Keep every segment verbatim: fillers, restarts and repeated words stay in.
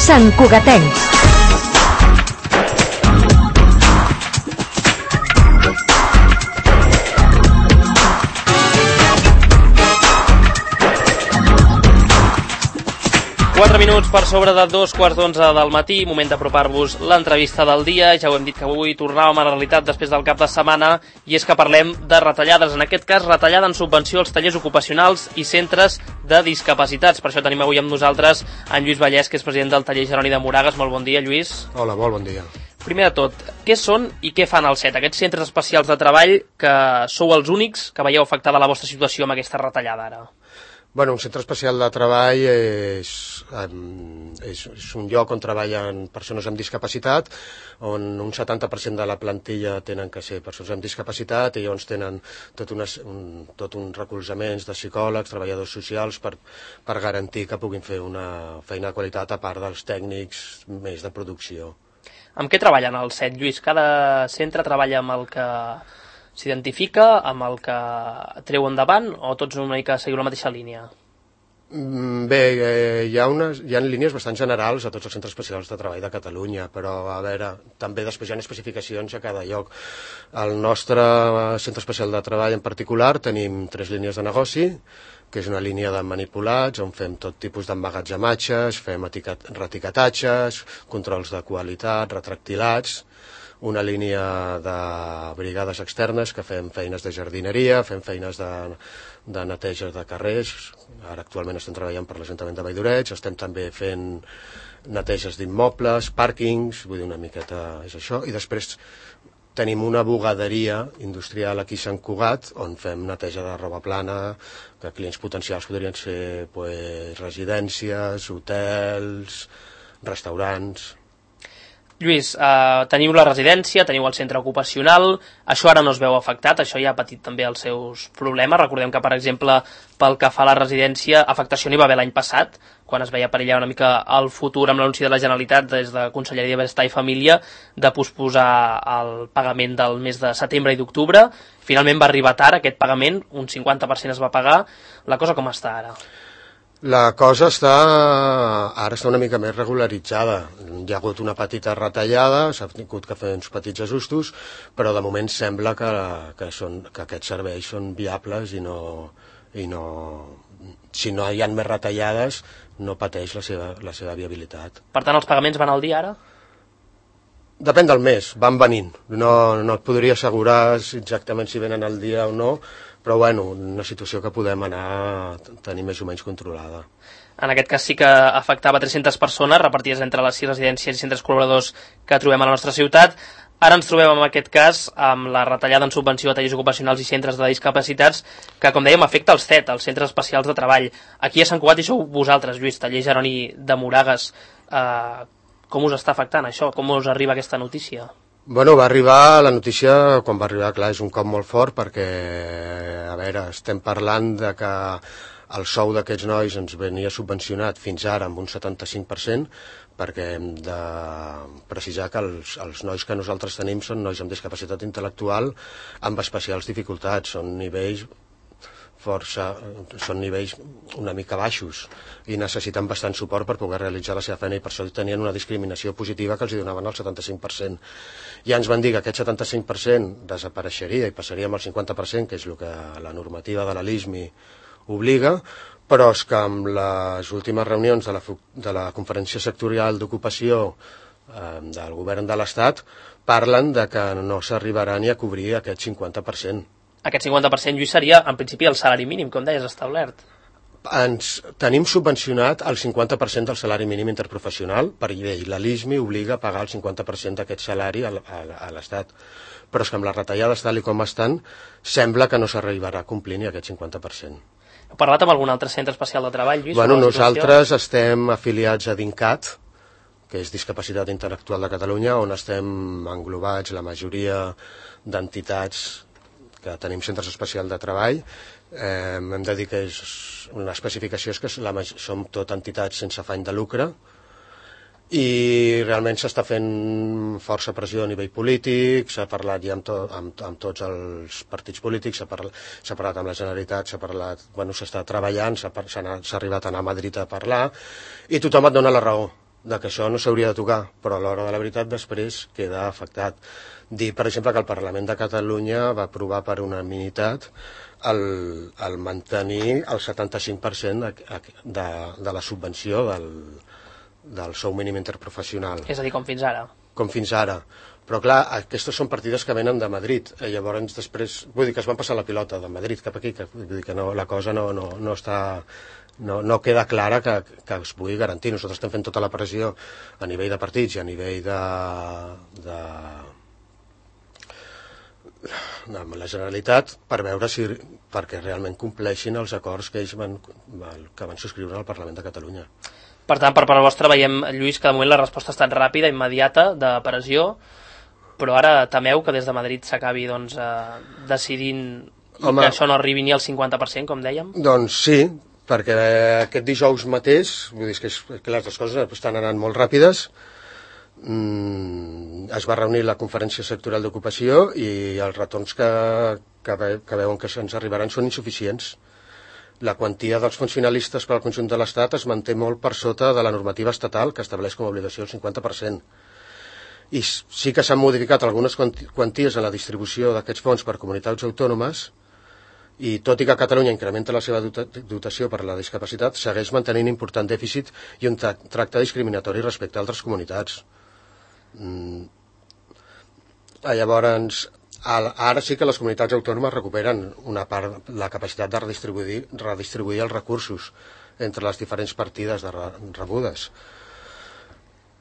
Sant Cugatencs. Quatre minuts per sobre de dos quarts d'onze del matí, moment d'apropar-vos l'entrevista del dia. Ja ho hem dit que avui tornàvem a la realitat després del cap de setmana, i és que parlem de retallades, en aquest cas retallada en subvenció als tallers ocupacionals i centres de discapacitats. Per això tenim avui amb nosaltres en Lluís Vallès, que és president del taller Jeroni de Moragas. Molt bon dia, Lluís. Hola, molt bon dia. Primer de tot, què són i què fan al C E T, aquests centres especials de treball que sou els únics que veieu afectada la vostra situació amb aquesta retallada ara? Bueno, un centre especial de treball és, és, és un lloc on treballen persones amb discapacitat, on un setanta per cent de la plantilla tenen que ser persones amb discapacitat, i llavors tenen tot, unes, un, tot uns recolzaments de psicòlegs, treballadors socials, per, per garantir que puguin fer una feina de qualitat a part dels tècnics més de producció. Amb què treballen al C E T, Lluís? Cada centre treballa amb el que s'identifica, amb el que treu endavant, o tots una mica seguir la mateixa línia? Bé, eh, hi ha unes, hi ha línies bastant generals a tots els centres especials de treball de Catalunya, però a veure, també després hi ha especificacions a cada lloc. Al nostre centre especial de treball en particular tenim tres línies de negoci, que és una línia de manipulats, on fem tot tipus d'emmagatzematges, fem etiquet, retiquetatges, controls de qualitat, retractilats, una línia de brigades externes que fem feines de jardineria, fem feines de, de neteja de carrers. Ara actualment estem treballant per l'Ajuntament de Valldoreix, estem també fent neteges d'immobles, pàrquings, vull dir, una miqueta és això, i després tenim una bugaderia industrial aquí a Sant Cugat, on fem neteja de roba plana, que clients potencials podrien ser pues, residències, hotels, restaurants. Lluís, eh, teniu la residència, teniu el centre ocupacional, això ara no es veu afectat, això ja ha patit també els seus problemes. Recordem que, per exemple, pel que fa a la residència, afectació n'hi va haver l'any passat, quan es veia perillar una mica el futur amb l'anunci de la Generalitat des de Conselleria de Benestar i Família de posposar el pagament del mes de setembre i d'octubre. Finalment va arribar tard aquest pagament, un cinquanta per cent es va pagar. La cosa com està ara? La cosa està, ara està una mica més regularitzada. Hi ha hagut una petita retallada, s'ha tingut que fer uns petits ajustos, però de moment sembla que, que, són, que aquests serveis són viables i no, i no, si no hi ha més retallades no pateix la seva, la seva viabilitat. Per tant, els pagaments van al dia ara? Depèn del mes, van venint. No, no et podria assegurar exactament si venen al dia o no, però bueno, una situació que podem anar a tenir més o menys controlada. En aquest cas sí que afectava tres-centes persones repartides entre les sis residències i centres col·laboradors que trobem a la nostra ciutat. Ara ens trobem en aquest cas amb la retallada en subvenció a tallers ocupacionals i centres de discapacitats que, com dèiem, afecta els C E T, els centres especials de treball. Aquí a Sant Cugat hi sou vosaltres, Lluís, taller Jeroni de Moragas. Eh, com us està afectant això? Com us arriba aquesta notícia? Bueno, va arribar la notícia, quan va arribar, clar, és un cop molt fort perquè, a veure, estem parlant de que el sou d'aquests nois ens venia subvencionat fins ara amb un setanta-cinc per cent, perquè hem de precisar que els, els nois que nosaltres tenim són nois amb discapacitat intel·lectual amb especials dificultats, són nivells força, són nivells una mica baixos i necessiten bastant suport per poder realitzar la seva feina, i per això tenien una discriminació positiva que els donaven el setanta-cinc per cent. Ja ens van dir que aquest setanta-cinc per cent desapareixeria i passaria amb el cinquanta per cent, que és el que la normativa de la LISMI obliga, però és que amb les últimes reunions de la, de la Conferència Sectorial d'Ocupació eh, del Govern de l'Estat parlen de que no s'arribarà ni a cobrir aquest cinquanta per cent. Aquest cinquanta per cent, Lluís, seria, en principi, el salari mínim, com deies, establert. Ens tenim subvencionat el cinquanta per cent del salari mínim interprofessional per llei. La LISMI obliga a pagar el cinquanta per cent d'aquest salari a l'Estat. Però és que amb les retallades tal i com estan, sembla que no s'arribarà a complir ni aquest cinquanta per cent. Heu parlat amb algun altre centre especial de treball, Lluís? Bueno, nosaltres estem afiliats a DINCAT, que és Discapacitat Intel·lectual de Catalunya, on estem englobats la majoria d'entitats que tenim centres especials de treball. Eh, hem de dir que és una especificació és que la, som tot entitats sense afany de lucre, i realment s'està fent força pressió a nivell polític, s'ha parlat ja amb, to, amb, amb tots els partits polítics, s'ha parlat, s'ha parlat amb la Generalitat, s'ha parlat, bueno, s'està treballant, s'ha, s'ha arribat a anar a Madrid a parlar, i tothom et dona la raó. de que això no s'hauria de tocar, però a l'hora de la veritat després queda afectat. Dir, per exemple, que el Parlament de Catalunya va aprovar per unanimitat el, el mantenir el setanta-cinc per cent de, de, de la subvenció del, del sou mínim interprofessional. És a dir, com fins ara. Com fins ara. Però clar, aquestes són partides que venen de Madrid, i llavors després, vull dir que es van passar la pilota de Madrid cap aquí, que, vull dir que no, la cosa no, no, no està... No, no queda clara que, que es pugui garantir. Nosaltres estem fent tota la pressió a nivell de partits i a nivell de, de, de la Generalitat per veure si, perquè realment compleixin els acords que ells van, que van subscriure al Parlament de Catalunya. Per tant, per part vostra veiem, Lluís, que de moment la resposta ha estat ràpida, immediata, de pressió, però ara temeu que des de Madrid s'acabi doncs, eh, decidint Home, que això no arribi ni al cinquanta per cent, com dèiem? Doncs sí, perquè aquest dijous mateix, vull dir que, és, que les coses estan anant molt ràpides, mm, es va reunir la conferència sectorial d'ocupació i els retorns que, que, ve, que veuen que ens arribaran són insuficients. La quantia dels funcionalistes per al conjunt de l'Estat es manté molt per sota de la normativa estatal que estableix com a obligació el cinquanta per cent. I sí que s'han modificat algunes quanties en la distribució d'aquests fons per comunitats autònomes, i tot i que Catalunya incrementa la seva dotació per a la discapacitat, segueix mantenint important dèficit i un tracte discriminatori respecte a altres comunitats. Mm. Llavors, ara sí que les comunitats autònomes recuperen una part, la capacitat de redistribuir, redistribuir els recursos entre les diferents partides de rebudes.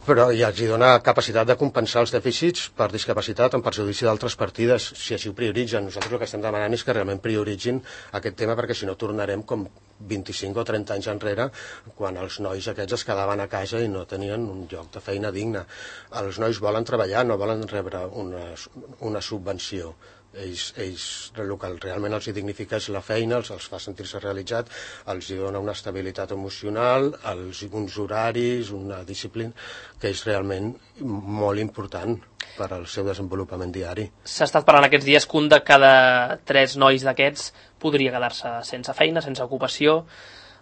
Però ja els dona capacitat de compensar els dèficits per discapacitat en perjudici d'altres partides, si així ho prioritzen. Nosaltres el que estem demanant és que realment prioritzin aquest tema, perquè si no tornarem com vint-i-cinc o trenta anys enrere, quan els nois aquests es quedaven a casa i no tenien un lloc de feina digne. Els nois volen treballar, no volen rebre una, una subvenció. Ells, ells, el que realment els dignifica és la feina, els, els fa sentir-se realitzat, els dona una estabilitat emocional, els, uns horaris, una disciplina que és realment molt important per al seu desenvolupament diari. S'ha estat parlant aquests dies que un de cada tres nois d'aquests podria quedar-se sense feina, sense ocupació.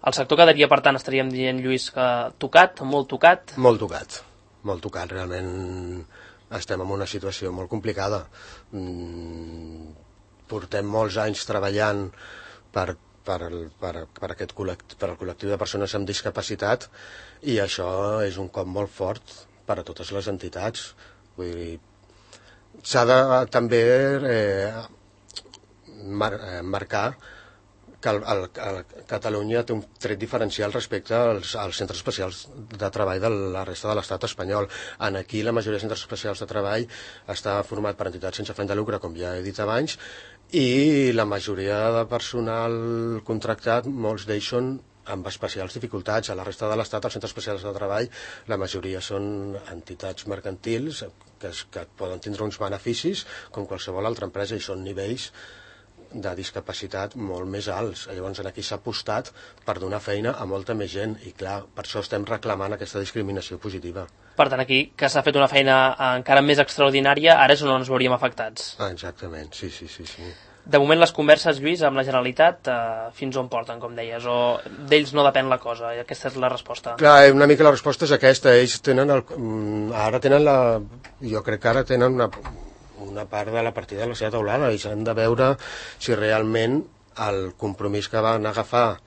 El sector quedaria, per tant, estaríem dient, Lluís, que tocat, molt tocat? Molt tocat, molt tocat, realment. Estem en una situació molt complicada. Mm, portem molts anys treballant per, per, per, per, aquest col·lect, per al col·lectiu de persones amb discapacitat, i això és un cop molt fort per a totes les entitats. Vull dir, s'ha de també eh, mar, eh, marcar que el, el, el Catalunya té un tret diferencial respecte als, als centres especials de treball de la resta de l'estat espanyol. En aquí la majoria de centres especials de treball està format per entitats sense afany de lucre, com ja he dit abans, i la majoria de personal contractat, molts d'ells són amb especials dificultats. A la resta de l'estat, els centres especials de treball, la majoria són entitats mercantils que, que poden tindre uns beneficis com qualsevol altra empresa, i són nivells de discapacitat molt més alts. Llavors aquí s'ha apostat per donar feina a molta més gent, i clar, per això estem reclamant aquesta discriminació positiva. Per tant, aquí que s'ha fet una feina encara més extraordinària, ara és on ens veuríem afectats. Ah, exactament, sí, sí, sí, sí. De moment les converses, Lluís, amb la Generalitat, eh, fins on porten, com deies, o d'ells no depèn la cosa, i aquesta és la resposta? Clar, una mica la resposta és aquesta. Ells tenen el, ara tenen la... jo crec que ara tenen una... una part de la partida de la seva taulada, i s'han de veure si realment el compromís que van agafar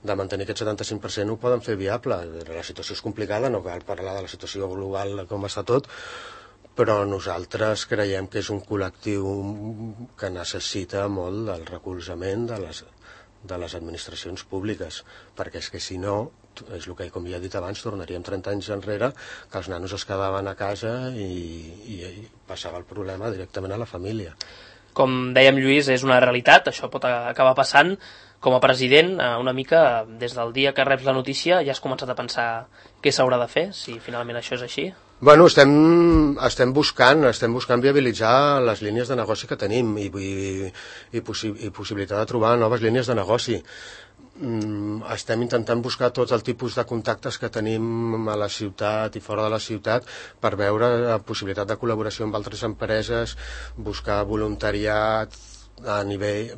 de mantenir aquest setanta-cinc per cent ho poden fer viable. La situació és complicada, no cal parlar de la situació global com està tot, però nosaltres creiem que és un col·lectiu que necessita molt del recolzament de les, de les administracions públiques, perquè és que si no, és el que, com ja he dit abans, tornaríem trenta anys enrere, que els nanos es quedaven a casa i, i, i passava el problema directament a la família. Com dèiem, Lluís, és una realitat, això pot acabar passant. Com a president, una mica, des del dia que reps la notícia, ja has començat a pensar què s'haurà de fer, si finalment això és així? Bueno, estem, estem buscant, estem buscant viabilitzar les línies de negoci que tenim i, i, i, possi i possibilitat de trobar noves línies de negoci. Estem intentant buscar tots el tipus de contactes que tenim a la ciutat i fora de la ciutat per veure la possibilitat de col·laboració amb altres empreses, buscar voluntariat, a nivell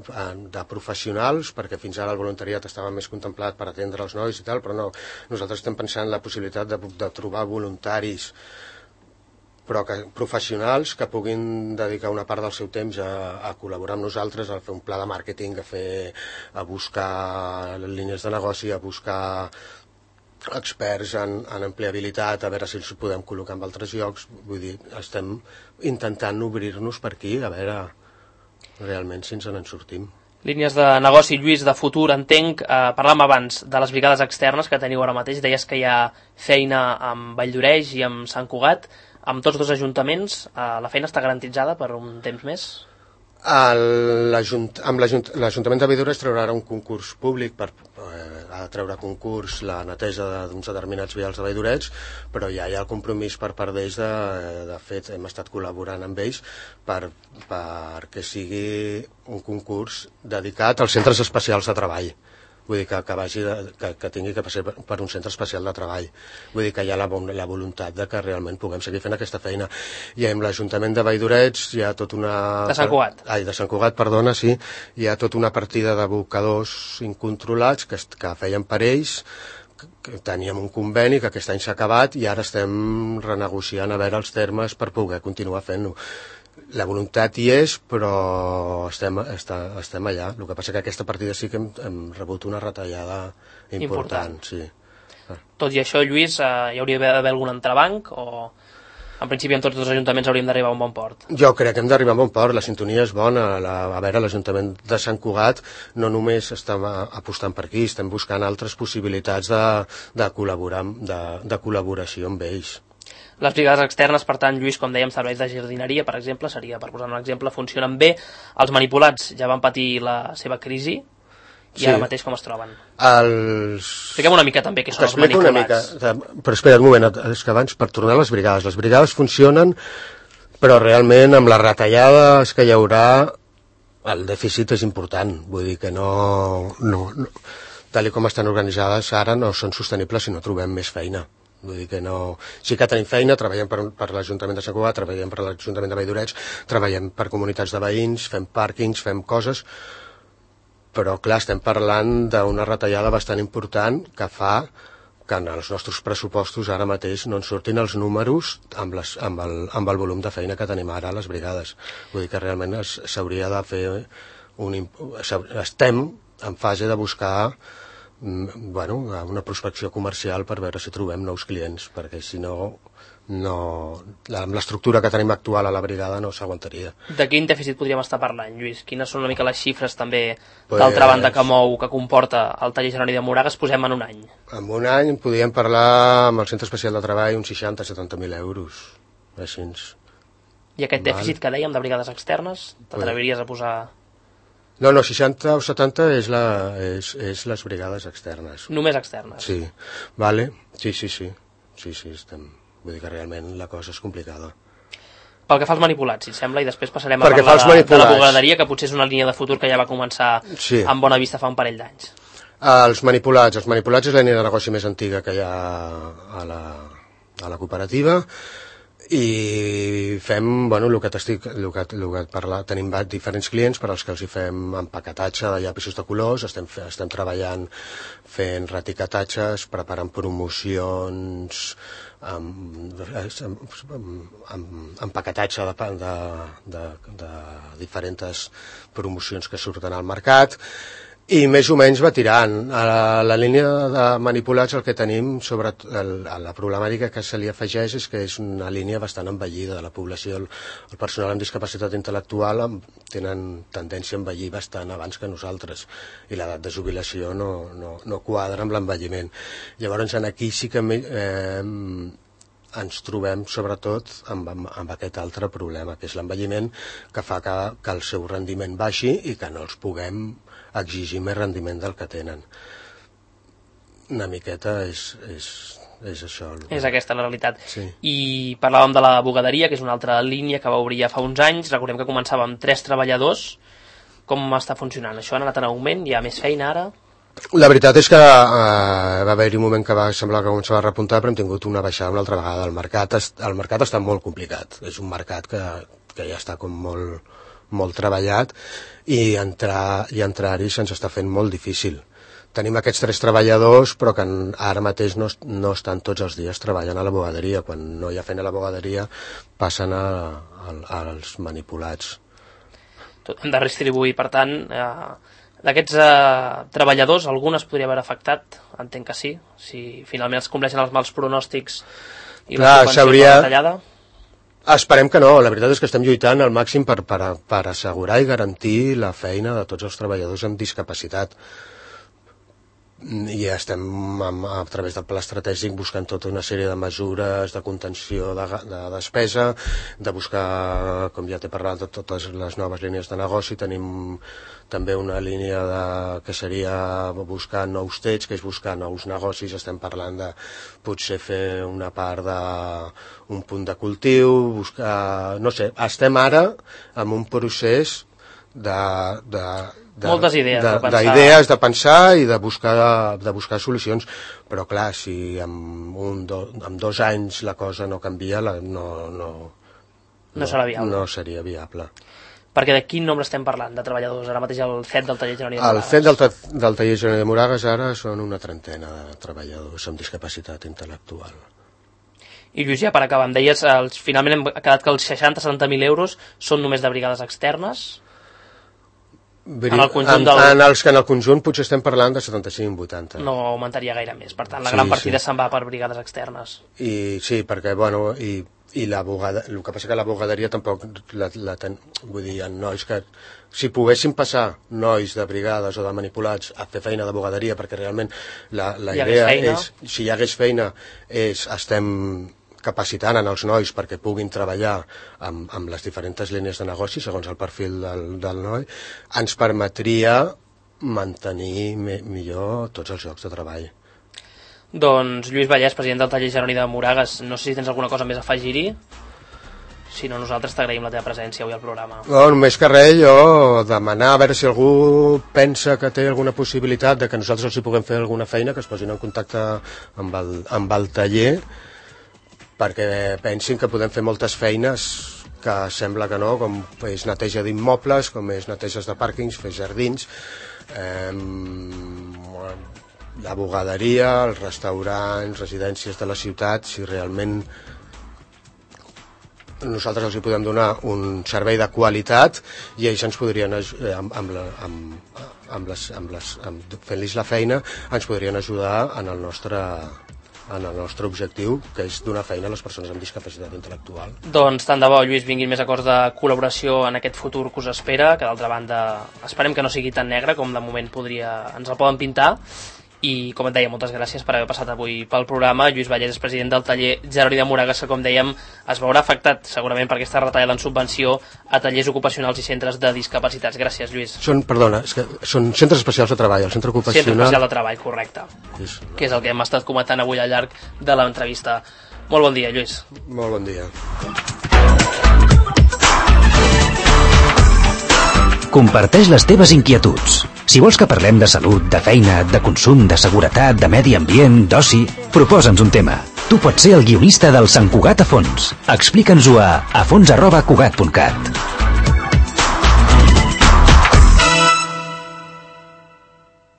de professionals, perquè fins ara el voluntariat estava més contemplat per atendre els nois i tal, però no, nosaltres estem pensant en la possibilitat de, de trobar voluntaris però que, professionals que puguin dedicar una part del seu temps a, a col·laborar amb nosaltres, a fer un pla de màrqueting, a, fer, a buscar línies de negoci, a buscar experts en, en empleabilitat, a veure si els podem col·locar en altres llocs. Vull dir, estem intentant obrir-nos per aquí, a veure realment si ens en sortim. Línies de negoci, Lluís, de futur, entenc. Eh, parlàvem abans de les brigades externes que teniu ara mateix. Deies que hi ha feina amb Valldoreix i amb Sant Cugat. Amb tots dos ajuntaments, eh, la feina està garantitzada per un temps més? L'Ajunt, amb l'Ajuntament de Valldoreix traurà un concurs públic per eh, a treure concurs la neteja d'uns determinats vials de Valldoreix, però ja hi ha el compromís per part d'ells, de, de fet hem estat col·laborant amb ells per, perquè sigui un concurs dedicat als centres especials de treball. Vull dir que, que, vagi de, que, que tingui que passar per, per un centre especial de treball. Vull dir que hi ha la, la voluntat de que realment puguem seguir fent aquesta feina. I amb l'Ajuntament de Valldoreix hi ha tot una... De Sant Cugat. Ai, de Sant Cugat, perdona, sí. Hi ha tota una partida d'abocadors incontrolats que, que feien per ells, que, que teníem un conveni que aquest any s'ha acabat i ara estem renegociant a veure els termes per poder continuar fent-ho. La voluntat hi és, però estem, està, estem allà. El que passa que aquesta partida sí que hem, hem rebut una retallada important. important. Sí. Tot i això, Lluís, eh, hi hauria d'haver algun entrebanc o en principi en tots els ajuntaments hauríem d'arribar a un bon port? Jo crec que hem d'arribar a un bon port, la sintonia és bona. La, a veure, l'Ajuntament de Sant Cugat no només estem apostant per aquí, estem buscant altres possibilitats de, de col·laborar, de, de col·laboració amb ells. Les brigades externes, per tant, Lluís, com dèiem, serveis de jardineria, per exemple, seria, per posar un exemple, funcionen bé. Els manipulats ja van patir la seva crisi i sí. Ara mateix com es troben? Els... Expliquem una mica també què són els manipulats. Mica, però espera un moment, és que abans, per tornar a les brigades, les brigades funcionen, però realment amb les retallades que hi haurà, el dèficit és important. Vull dir que no... no, no tal com estan organitzades ara no són sostenibles si no trobem més feina. Vull dir que no... Sí que tenim feina, treballem per, per l'Ajuntament de Sant Cugat, treballem per l'Ajuntament de Valldoreix, treballem per comunitats de veïns, fem pàrquings, fem coses, però clar, estem parlant d'una retallada bastant important que fa que en els nostres pressupostos ara mateix no ens surtin els números amb, les, amb, el, amb el volum de feina que tenim ara a les brigades. Vull dir que realment s'hauria de fer un... Estem en fase de buscar bueno, una prospecció comercial per veure si trobem nous clients, perquè si no, no amb l'estructura que tenim actual a la brigada no s'aguantaria. De quin dèficit podríem estar parlant, Lluís? Quines són una mica les xifres també pues, d'altra banda que mou, que comporta el taller Jeroni de Moragas? Posem en un any. En un any podríem parlar amb el Centre Especial de Treball uns seixanta a setanta mil euros, així. I aquest dèficit que dèiem de brigades externes, t'atreviries a posar... No, no, seixanta o setanta és, la, és, és les brigades externes. Només externes? Sí, vale, sí, sí, sí, sí, sí, estem... vull dir que realment la cosa és complicada. Pel que fa als manipulats, si et sembla, i després passarem Perquè a parlar de, de la bugaderia, que potser és una línia de futur que ja va començar sí. amb bona vista fa un parell d'anys. Els manipulats, els manipulats és la línia de negoci més antiga que hi ha a la, a la cooperativa, i fem, bueno, el que t'estic, el que, el que parla, tenim diferents clients per als que els hi fem empaquetatge de llapisos de colors, estem, estem treballant fent retiquetatges, preparant promocions, amb, amb, amb empaquetatge de, de, de, de diferents promocions que surten al mercat, i més o menys va tirant. A la, la línia de manipulats el que tenim sobre el, la problemàtica que se li afegeix és que és una línia bastant envellida de la població. El, el personal amb discapacitat intel·lectual tenen tendència a envellir bastant abans que nosaltres i l'edat de jubilació no, no, no quadra amb l'envelliment. Llavors aquí sí que eh, ens trobem sobretot amb, amb, amb aquest altre problema, que és l'envelliment, que fa que, que el seu rendiment baixi i que no els puguem exigir més rendiment del que tenen. Una miqueta és, és, és això. És aquesta la realitat. Sí. I parlàvem de la bugaderia, que és una altra línia que va obrir ja fa uns anys. Recordem que començava amb tres treballadors. Com està funcionant? Això ha anat en augment? Hi ha més feina ara? La veritat és que eh, va haver-hi un moment que va semblar que començava a repuntar, però hem tingut una baixada una altra vegada. El mercat, el mercat està molt complicat. És un mercat que, que ja està com molt, molt treballat i entrar, i entrar-hi se'ns està fent molt difícil. Tenim aquests tres treballadors, però que ara mateix no, no estan tots els dies treballant a la bugaderia. Quan no hi ha feina a la bugaderia, passen a, a, als manipulats. Hem de redistribuir, per tant, eh, d'aquests eh, treballadors, algun es podria haver afectat, entenc que sí, si finalment es compleixen els mals pronòstics i la subvenció de la retallada. Esperem que no, la veritat és que estem lluitant al màxim per, per, per assegurar i garantir la feina de tots els treballadors amb discapacitat. I estem a, a través del pla estratègic buscant tota una sèrie de mesures de contenció de, de despesa, de buscar, com ja t'he parlat, de totes les noves línies de negoci. Tenim també una línia de, que seria buscar nous tets, que és buscar nous negocis. Estem parlant de potser fer una part d'un punt de cultiu, buscar, no sé, estem ara en un procés de, de De, moltes idees de, de, pensar. d'idees de pensar i de buscar, de buscar solucions, però clar, si en, un, do, en dos anys la cosa no canvia, la, no, no, no, no, serà viable. no seria viable. Perquè de quin nombre estem parlant de treballadors? Ara mateix el C E T del taller Jeroni de Moragas. El C E T del, del taller Jeroni de Moragas ara són una trentena de treballadors amb discapacitat intel·lectual. I Lluís, ja per acabar, em deies, els, finalment hem quedat que els seixanta a setanta mil euros són només de brigades externes. En, el conjunt en, del... en, els que en el conjunt potser estem parlant de setanta-cinc a vuitanta. No augmentaria gaire més, per tant la sí, gran partida sí. se'n va per brigades externes. I sí, perquè bueno, i, i la bugada, el que passa que la bugaderia tampoc la, la ten, vull dir, en nois que si poguessin passar nois de brigades o de manipulats a fer feina de bugaderia, perquè realment la, la idea és, si hi hagués feina, és estem capacitant en els nois perquè puguin treballar amb, amb les diferents línies de negoci segons el perfil del, del noi, ens permetria mantenir me, millor tots els llocs de treball. Doncs Lluís Vallès, president del taller Jeroni de Moragas, no sé si tens alguna cosa més a afegir-hi. Si no, nosaltres t'agraïm la teva presència avui al programa. No, només que res, jo demanar a veure si algú pensa que té alguna possibilitat de que nosaltres els hi puguem fer alguna feina, que es posin en contacte amb el, amb el taller, perquè pensin que podem fer moltes feines que sembla que no, com és neteja d'immobles, com és neteges de pàrquings, fer jardins, eh, la bugaderia, els restaurants, residències de la ciutat, si realment nosaltres els hi podem donar un servei de qualitat i ells ens podrien, amb, amb, la, amb, amb les, amb les, amb, fent-los la feina, ens podrien ajudar en el nostre... en el nostre objectiu, que és donar feina a les persones amb discapacitat intel·lectual. Doncs tant de bo, Lluís, vinguin més acords de col·laboració en aquest futur que us espera, que d'altra banda esperem que no sigui tan negre com de moment podria, ens el poden pintar. I, com et deia, moltes gràcies per haver passat avui pel programa. Lluís Vallès és president del taller Jeroni de Moragas, que, com dèiem, es veurà afectat segurament per aquesta retallada en subvenció a tallers ocupacionals i centres de discapacitats. Gràcies, Lluís. Són, perdona, és que són centres especials de treball, el centre ocupacional... Centre especial de treball, correcte. És... que és el que hem estat comentant avui al llarg de l'entrevista. Molt bon dia, Lluís. Molt bon dia. Comparteix les teves inquietuds. Si vols que parlem de salut, de feina, de consum, de seguretat, de medi ambient, d'oci, proposa'ns un tema. Tu pots ser el guionista del Sant Cugat a fons. Explica'ns-ho a afons arroba cugat punt cat.